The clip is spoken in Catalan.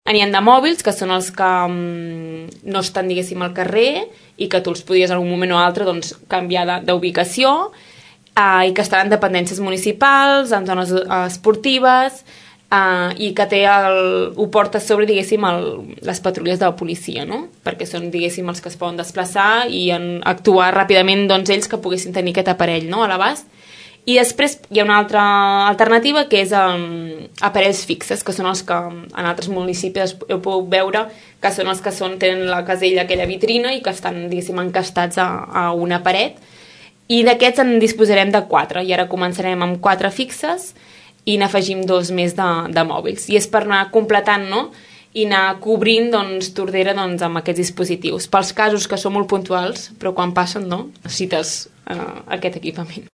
N'hi ha de mòbils, que són els que no estan, diguéssim, al carrer i que tu els podies en un moment o altre doncs, canviar d'ubicació, i que estan en dependències municipals, en zones esportives, i que ho porta a sobre, diguéssim, les patrulles de la policia, no? Perquè són, diguéssim, els que es poden desplaçar i actuar ràpidament, doncs, ells que poguessin tenir aquest aparell, no?, a l'abast. I després hi ha una altra alternativa, que és aparells fixes, que són els que en altres municipis heu pogut veure, que són els que tenen la casella, aquella vitrina, i que estan, diguéssim, encastats a una paret. I d'aquests en disposarem de 4, i ara començarem amb 4 fixes i n'afegim 2 més de mòbils. I és per anar completant, no?, i anar cobrint, doncs, Tordera, doncs, amb aquests dispositius. Pels casos que són molt puntuals, però quan passen, no?, necessites aquest equipament.